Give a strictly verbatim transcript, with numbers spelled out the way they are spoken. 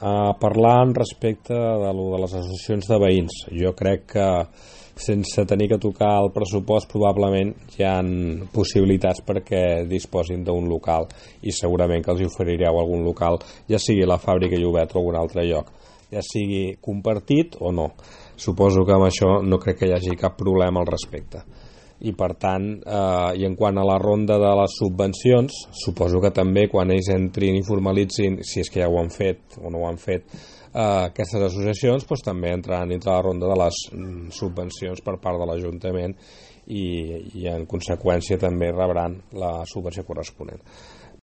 uh, parlant respecte de, lo de les associacions de veïns, jo crec que sense tenir que tocar el pressupost probablement hi ha possibilitats perquè disposin d'un local, i segurament que els oferireu algun local, ja sigui la fàbrica Llobet o algun altre lloc, ja sigui compartit o no. Suposo que amb això no crec que hi hagi cap problema al respecte. I per tant, eh, i en quant a la ronda de les subvencions, suposo que també quan ells entrin i formalitzin, si és que ja ho han fet o no ho han fet, eh, aquestes associacions, doncs també entraran dintre la ronda de les mm, subvencions per part de l'Ajuntament, i, i en conseqüència també rebran la subvenció corresponent.